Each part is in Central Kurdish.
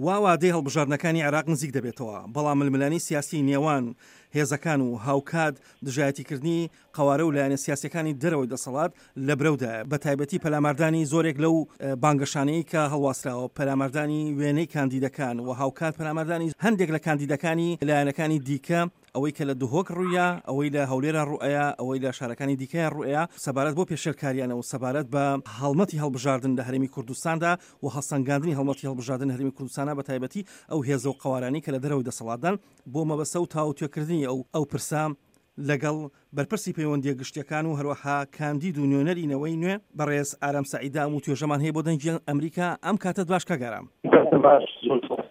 وا وادەی هەڵبژاردنەکانی عێراق نزیک دەبێتەوە، بەڵام ململانێی سیاسی نێوان هێزەکان و هاوکات دژایەتیکردنی قەوارە و لایەنە سیاسیەکانی دەرەوەی دەسەڵات لە برەودایە، بەتایبەتی پەلاماردانی زۆرێک لەو بانگەشانەی کە هەڵواسراوە، پەلاماردانی وێنەی کاندیدەکان و هاوکات پەلاماردانی هەندێک لە کاندیدەکانی لایەنەکانی دیکە، ئەوەی کە لە دهۆک ڕوویا، ئەوەی لە هەولێرا ڕووئەیا، ئەوەی لە شارەکانی دیکەیا ڕووئەیا، سەبارەت بەو پێشێلکاریانە و سەبارەت بە هەڵمەتی هەڵبژاردن لە هەرێمی کوردستاندا و هەڵسەنگاندنی هەڵمەتی هەڵبژاردن لە هەرێمی کوردستانا بە تایبەتی ئەو هێزە و قەوارانەی کە لە دەرەوەی دەسەڵاتدان بۆ مەبەستە و تاوتوێکردنی ئەو ئەو پرسە لەگەڵ بەرپرسی پەیوەندییە گشتییەکان و هەروەها کاندید و نوێنەری نەوەی نوێ بەڕێز ئارام سەعیدە ئەم وتوێژەمان هەیە بۆ دەنگی ئەمریکا ئەم کاتەت باش کاک ئارام. کاتت باش زۆر سوپاس.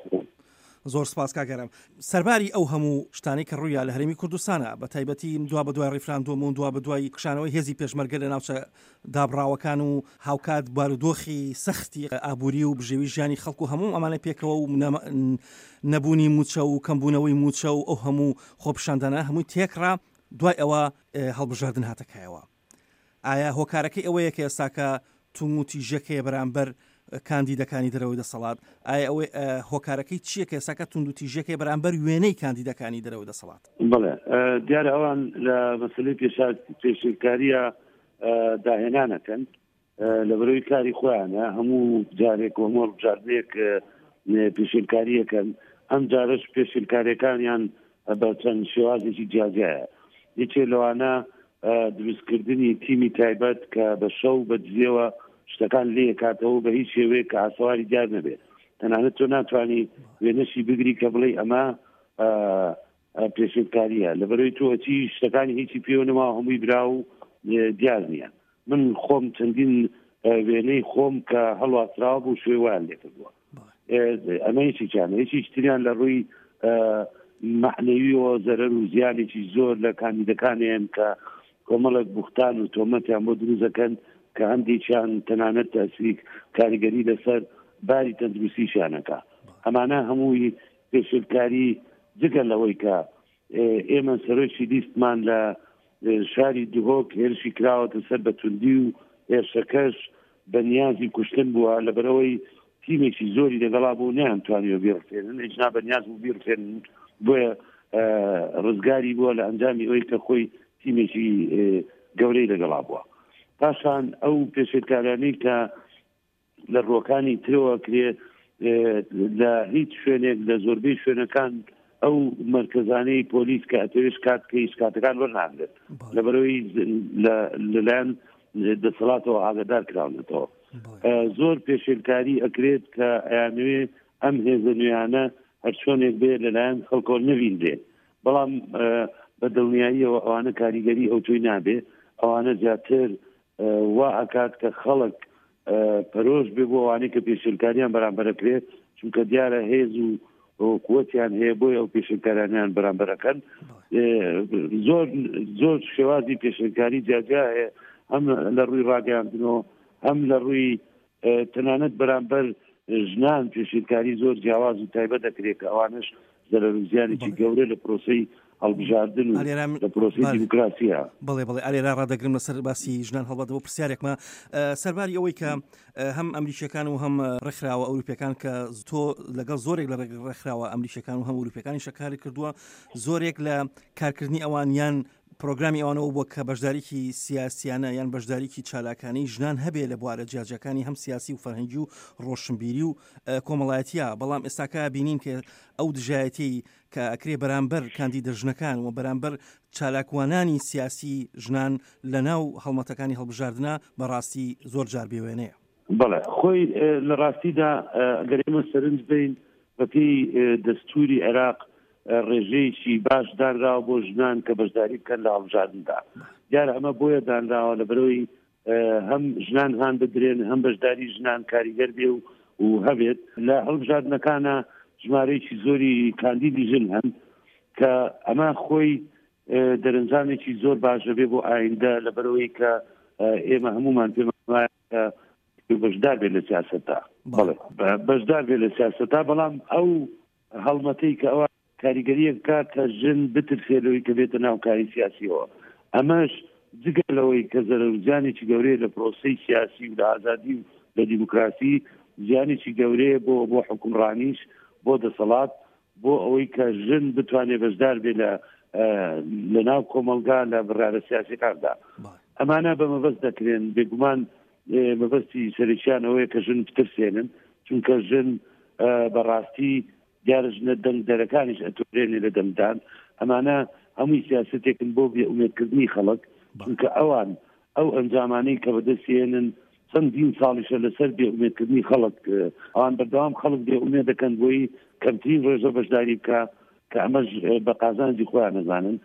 زۆر سپاس کاک ئارام. سەرباری ئەو هەموو شتانەی کە ڕوویا لە هەرێمی کوردستانا بە تایبەتی دوابەدوای ڕیفراندۆم و دوابەدوای کشانەوەی هێزی پێشمەرگە لە ناوچە دابڕاوەکان و هاوکات بارودۆخی سەختی ئابووری و بژێوی ژیانی خەڵک و هەموو ئەمانە پێکەوە و نەبوونی مووچە و کەمبوونەوەی مووچە و ئەو هەموو خۆپیشاندانە هەمووی تێکڕا دوای ئەوە هەڵبژاردن هاتە کایەوە. ئایا هۆکارەکەی ئەوەیە کە ئێستاکە توندوتیژیەک هەیە بەرامبەر کاندیدەکانی دەرەوەی دەسەڵات؟ ئایا ئەوەی هۆکارەکەی چییە کە ئێستاکە توندوتیژیەک هەیە بەرامبەر وێنەی کاندیدەکانی دەرەوەی دەسەڵات؟ بەڵێ دیارە ئەوان لە مەسەلەی پێشێلکارییە داهێنانەکەن لەبەرەوەی کاری خۆیانە هەموو جارێک و هەموو هەڵبژاردنێک پێشێلکاریەکەن ئەم جارەش پێشێلکاریەکانیان بە چەند شێوازێکی جیاجیایە یەکێ لەوانە دروستکردنی تیمی تایبەت کە بە شەو بە دزیەوە شتەکان لێکاتەوە بە هیچ شێوەیەک کە ئاسەواری دیار نەبێت تەنانەت تۆ ناتوانانی وێنەشی بگری کە بڵێ ئەمە پێشێلکارییە لەبەرەوەی تۆ ئەچی شتەکانی هیچی پێوە نەماوە هەمووی برا و دیار نییە من خۆم چەندین وێنەی خۆم کە هەڵواسراوە بوو شوێ وایان لێکردووە ئەمە یەکێکیان یەکێکی تریان لە ڕووی مەعنەویەوە زەرەر و زیانێکی زۆر لە کاندیدەکانیان کە کۆمەڵێک بوختان و تۆمەتیان بۆ دروست دەکەن کە هەندێکیان تەنانەت تەسریک کاریگەری لەسەر باری تەندروستیشیانەکە ئەمانە هەمووی پێشێلکاری جگە لەوەی کە ئێمە سەرۆکی لیستمان لە شاری دهۆک هێرشی کراوەتە سەر بە توندی و هێرشەکەش بە نیازی کوشتن بووە لەبەرئەوەی تیمێکی زۆری لەگەڵا بوو نەیانتوانیوە بیڕفێنن ئیجنا بە نیاز بوو بیڕفێنن بۆیە ڕزگاری بووە لە ئەنجامی ئەوەی کە خۆی تیمێکی گەورەی لەگەڵا بووە پاشان ئەو پێشێلکارانەی کە لە ڕووەکانی ترەوە کرێ لە هیچ شوێنێک لە زۆربەی شوێنەکان ئەو مرکزانەی پۆلیس کە ئەتەوێت شکات کەی شکاتەکان وەرناگرێت لەبەرەوەی لەلایەن دەسەڵاتەوە ئاگادار کراونەتەوە زۆر پێشێلکاری ئەکرێت کە ئەیانەوێ ئەم هێزە نوێیانە هەرچۆنێک بێ لەلایەن خەڵکەوە نەبینرێت بەڵام بە دڵنیاییەوە ئەوانە کاریگەری ئەوتۆی نابێ ئەوانە زیاتر وا ئەکات کە خەڵک پەرۆش بێ بۆ ئەوانەی کە پێشێلکاریان بەرامبەرەکرێت چونکە دیارە هێز و قوتیان هەیە بۆی ئەو پێشێلکارانیان بەرامبەرەکەن زۆر زۆر شێوازی پێشێلکاری جیاجیا هەیە هەم لە ڕووی ڕاگەیاندنەوە هەم لە ڕووی تەنانەت بەرامبەر ژنان پێشێلکاری زۆر جیاواز و تایبەت دەکرێت کە ئەوانەش زەرەر و زیانێکی گەورە لە پرۆسەی هەڵبژاردن و لە پرۆسەی دیموکراسیە. بەڵێ بەڵێ ئالێرا ڕادەگرم لەسەر باسی ژنان هەڵبەت بۆ پرسیارێکمە سەرباری ئەوەی کە هەم ئەمریکیەکان و هەم ڕێکخراوە ئەوروپیەکان کە تۆ لەگەڵ زۆرێک لە ڕێکخراوە ئەمریکیەکان و هەم ئەوروپیەکانی شەکاری کردووە زۆرێک لە کارکردنی ئەوان یان پرۆگرامی ئەوانەوە بووە کە بەشداریکی سیاسیانە یان بەشداریکی چالاکانەی ژنان هەبێ لە بوارە جیاجیاکانی هەم سیاسی و فەرهەنگی و ڕۆشنبیری و کۆمەڵایەتیە بەڵام ئێستاکە بینین کە ئەو دژایەتیەی کە ئەکرێ بەرامبەر کاندیدە ژنەکان و بەرامبەر چالاکوانانی سیاسی ژنان لە ناو هەڵمەتەکانی هەڵبژاردنە بەڕاستی زۆر جار بێوێنەیە. بەڵێ خۆی لە ڕاستیدا گەر ئێمە سەرنج بەین بەپێی دەستووری عێراق ڕێژەیەکی باش دانراوە بۆ ژنان کە بەشداری بکەن لە هەڵبژاردندا دیارە ئەمە بۆیە دانراوە لەبەرەوەی هەم ژنان هان بدرێن هەم بەشداری ژنان کاریگەر بێ و و هەبێت لە هەڵبژاردنەکانە ژمارەیەکی زۆری کاندیدی ژن هەن کە ئەمە خۆی دەرەنجامێکی زۆر باش دەبێ بۆ ئایندە لەبەرەوەی کە ئێمە هەمومان پێمان وایە کە بەشدار بێت لە سیاسەتدا بەڵێ بەشدار بێت لە سیاسەتا بەڵام ئەو هەڵمەتەی کە ئەوە کاریگەرییەک بکات کە ژن بترسێت لەوەی کە بێتە ناو کاری سیاسیەوە ئەمەش جگە لەوەی کە زەرەر و زیانێکی گەورەیە لە پرۆسەی سیاسی و لە ئازادی و لە دیموکراسی. زیانێکی گەورەیە بۆ بۆ حکومڕانیش بۆ دەسەڵات بۆ ئەوەی کە ژن بتوانێت بەشدار بێ لە لە ناو کۆمەڵگا لە بڕیارە سیاسەکاندا ئەمانە بە مەبەست دەکرێن بێگومان مەبەستی سەرەکیان ئەوەیە کە ژن بترسێنن چونکە ژن بەڕاستی دیارە ژنە دەنگدەرەکانیش ئەتۆرێنێ لە دەنگدان ئەمانە هەمووی سیاسەتێکن بۆ بێ ئومێدکردنی خەڵک چونکە ئەوان ئەو ئەنجامانەی کە بەدەستێنن چەندین ساڵیشە لەسەر بێ ئومێدکردنی خەڵک ئەوان بەردەوام خەڵک بێ ئومێد دەکەن بۆی کەمترین ڕێژە بەشداری بکە کە ئەمەش بە قازانجی خۆیان نەزانن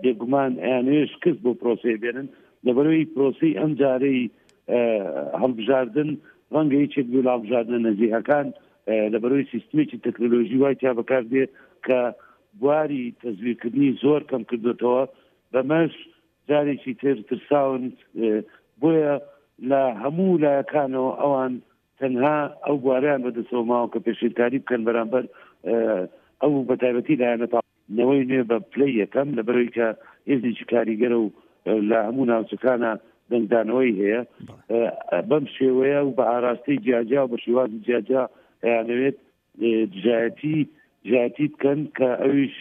بێگومان ئەیانەوێت شکست بۆ پرۆسەی بێنن لەبەرەوەی پرۆسی ئەم جارەی هەڵبژاردن ڕەنگە یەکێک بوو لە هەڵبژاردنە نەزیهەکان لەبەرەوەی سیستمێکی تەکنەلۆژی وای تیا بەکاردێ کە بواری تەزویرکردنی زۆر کەم کردوێتەوە بەمەش جارێکی تر ترساون بۆیە لە هەموو لایەکانەوە ئەوان تەنها ئەو بوارەیان بەدەستەوە ماوە کە پێشێلکاری بکەن بەرامبەر ئەو بەتایبەتی لایەنە نەوەی نوێ بە پلەی یەکەم لەبەرەوەی کە هێزێکی کاریگەرە و لە هەموو ناوچەکانە دەنگدانەوەی هەیە بەم شێوەیە و بە ئاراستەی جیاجیا و بە شێوازی جیاجیا ئەیانەوێت دژایەتی دژایەتی بکەن کە ئەویش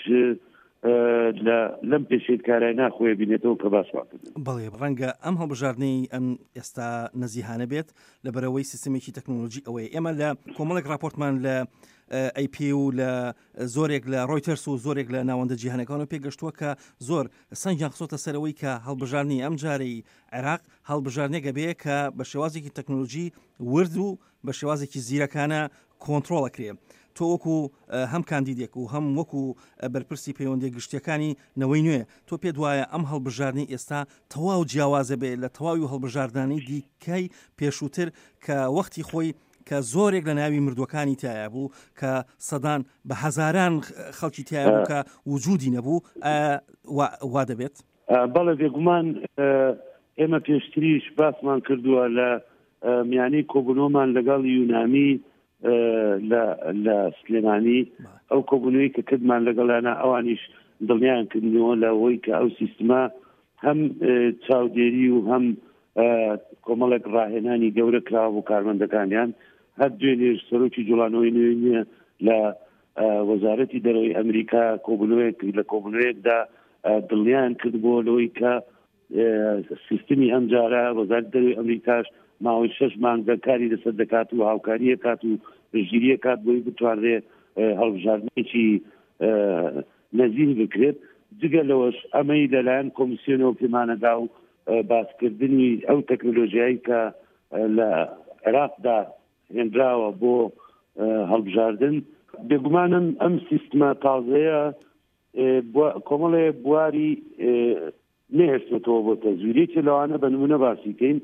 لە لەم پێشێلکارای ناخۆیە بینێتەوە کە باسمان کرد. بەڵێ ڕەنگە ئەم هەڵبژاردنەی ئەم ئێستا نەزیهانە بێت لەبەرئەوەی سیستمێکی تەکنۆلۆژی ئەوەیە ئێمە لە کۆمەڵێک راپۆرتمان لە ئەی پی و لە زۆرێک لە ڕۆیتەرس و زۆرێک لە ناوەندە جیهانەکان و پێگەشتووە کە زۆر سەنگیان خستۆتە سەرەوەی کە هەڵبژاردنی ئەم جارەی عێراق هەڵبژاردنێکە بێ کە بە شێوازێکی تەکنۆلۆژی ورد و بە شێوازێکی زیرەکانە کۆنتڕۆڵ ئەکرێ. تۆ وەکو هەم کاندیدێک و هەم وەکو بەرپرسی پەیوەندیە گشتیەکانی نەوەی نوێ، تۆ پێت وایە ئەم هەڵبژاردنەی ئێستا تەواو جیاوازە بێ لە تەواوی هەڵبژاردنانەی دیکەی پێشووتر کە وەختی خۆی کە زۆرێک لە ناوی مردووەکانی تایە بوو کە سەدان بە هەزاران خەڵکی تایە بوو کە وجودی نەبوو وا دەبێت؟ بەڵێ بێگومان ئێمە پێشتریش باسمان کردووە لە میانی کۆبوونەوەمان لەگەڵ یونامی لە سلێمانی ئەو کۆبوونەوەی کە کردمان لەگەڵیانە ئەوانیش دڵنیان کردنەوە لە ئەوەی کە ئەو سیستمە هەم چاودێری و هەم کۆمەڵێک ڕاهێنانی گەورە کراوە بۆ کارمەندەکانیان هەر دوێنێش سەرۆکی جوڵانەوەی نوێ نییە لە وەزارەتی دەرەوەی ئەمریکا کۆبوونەوەیەک لە کۆبوونەوەیەکدا دڵنیایان کردبووە لەوەی کە سیستمی ئەمجارە وەزارەتی دەرەوەی ئەمریکاش ماوەی شەش مانگە کاری لەسەر دەکات و هاوکاریە کات و پشتگیریە کات بۆی بتوانرێ هەڵبژاردنێکی نەزیه بکرێت جگە لەوەش ئەمەی لەلایەن کۆمیسیۆنەوە پێمانەدا و باسکردنی ئەو تەکنەلۆژیایی کە لە عێراقدا هێنراوە بۆ هەڵبژاردن. بێگومانم ئەم سیستمە تازەیە کۆمەڵێ بواری نەهێشتێتەوە بۆ تەزویر. یەکێ لەوانە بە نمونە باسی کەین،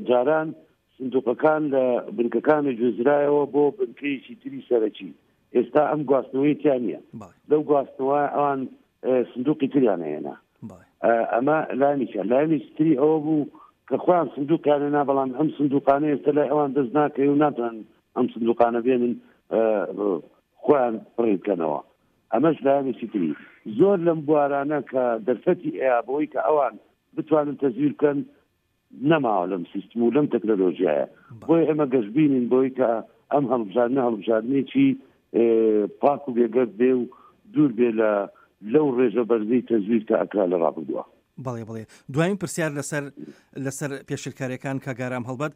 جاران سندوقەکان لە بنکەکانی گوێزرایەوە بۆ بنکەیەکی تری سەرەکی، ئێستا ئەم گواستنەوەی تیا نییە. لەو گواستنەوە ئەوان سندوقی تریان هێنا. ئەمە لایەنێکیان. لایەنێکی تری ئەوە بوو کە خۆیان سندوقیان هێنا، بەڵام ئەم سندوقانە ئێستا لای ئەوان دەست ناکەوێ و ناتوانن ئەم سندوقانە بێنن خۆیان پڕی بکەنەوە. ئەمەش لایەنێکی تری. زۆر لەم بوارانە کە دەرفەتی ئەیا بەوەی کە ئەوان بتوانن تەزویر بکەن نەماوە لەم سیستم و لەم تەکنەلۆژیایە. بۆیە ئێمە گەشبینین بەوەی کە ئەم هەڵبژاردنە هەڵبژاردنێکی پاک و بێگەرد بێ و دوور بێ لە لەو ڕێژە بەرزەی تەزویر کە ئەکرا لە ڕابردووە. بەڵێ بەڵێ دوایین پرسیار لەسەر لەسەر پێشلکاریەکان کاک ئارام هەڵبەت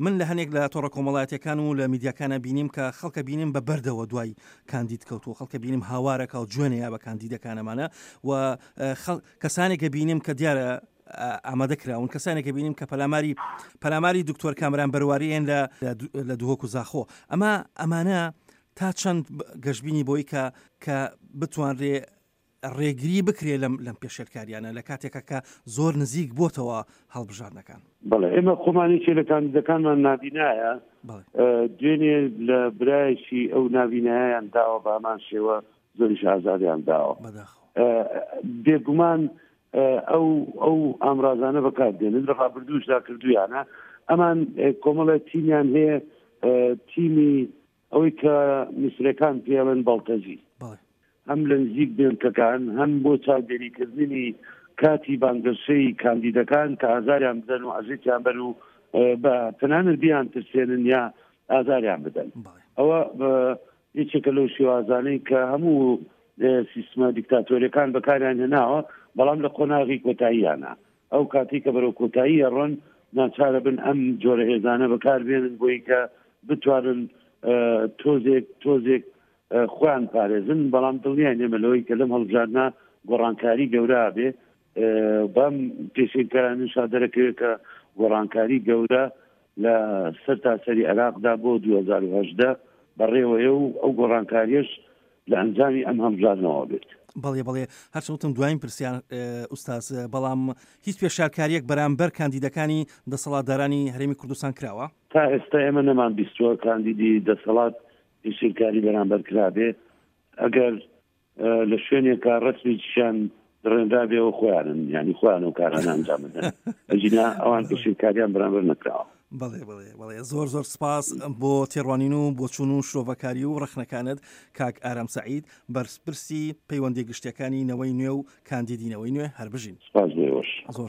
من لە هەنێک لە تۆڕە کۆمەڵایەتەکان و لە میدیاکانە بینیم کە خەڵکە بینیم بە بەردەوە دوای کاندید کەوتووە خەڵکە بینیم هاوارەکە و جوێنەیە بە کاندیدەکانەمانە و کەسانێکە بینیم کە دیارە ئامادە کراون کەسانێکە بینیم کە پەلاماری پەلاماری دکتۆر کامران بەرواریان لە لە دهۆک و زاخۆ ئەمە ئەمانە تا چەند گەشببینی بۆی کە کە بتوانرێ ڕێگری بکرێ لەم لەم پێشێلکاریانە لە کاتێکا کە زۆر نزیک بۆتەوە هەڵبژاردنەکان. بەڵێ ئێمە خۆمان یەکێ لە کاندیدەکانمان نابینایە دوێنێ لە برایەکی ئەو نابینایەیان داوە بە هەمان شێوە زۆریش ئازاریان داوە بێگومان ئەو ئەو ئامرازانە بەکار دێنن لە ڕابردووشدا کردویانە ئەمان کۆمەڵێک تیمیان هەیە تیمی ئەوەی کە میسرەکان پێڵێن بەڵتەجی هەم لە نزیک بێنکەکان هەم بۆ چاودێریکردنی کاتی بانگەشەی کاندیدەکان کە ئازاریان بدەن و عەزێتیان بەر و بە تەنانەت بیان ترسێنن یا ئازاریان بدەن. ئەوە یەکێکە لەو شێوازانەی کە هەموو سیستمە دیکتاتۆریەکان بەکاریان هێناوە، بەڵام لە قۆناغی کۆتاییانە ئەو کاتەی کە بەرەو کۆتایی ئەڕۆن ناچارە بن ئەم جۆرە هێزانە بەکار بێنن بۆی کە بتوانن تۆزێک تۆزێک خۆیان پارێزن. بەڵام دڵنیاین ئێمە لەوەی کە لەم هەڵبژاردنە گۆڕانکاری گەورە بێ، بەم پێشێلکارانەشا دەرەکەوێت کە گۆڕانکاری گەورە لە سەرتاسەری عێراقدا بۆ 2018 بەڕێوەیە و ئەو گۆڕانکاریەش لە ئەنجامی ئەم هەڵبژاردنەوە بێت. بەڵێ بەڵێ، هەرچەند وتم دوایین پرسیار ئوستاز، بەڵام هیچ پێشارکاریەک بەرامبەر کاندیدەکانی دەسەڵاتدارانی هەرێمی کوردستان کراوە؟ تا ئێستا ئێمە نەمان بیستووە کاندیدی دەسەڵات پێشێلکاری بەرامبەر کرابێ، ئەگەر لە شوێنێکا ڕەسمێکیشیان دڕێنرابێ ئەوە خۆیانن، یانی خۆیان ئەو کارانە ئەنجام بدەن، ئەگینا ئەوان پێشێلکاریان بەرامبەر نەکراوە. بەڵێ بەڵێ بەڵێ زۆر زۆر سپاس بۆ تێڕوانین و بۆچوون و شرۆڤەکاری و ڕەخنەکانت کاک ئارام سەعید بەرپرسی پەیوەندیە گشتیەکانی نەوەی نوێ و کاندیدی نەوەی نوێ هەر بژین. سپاس بۆ ئێوەش. زۆر.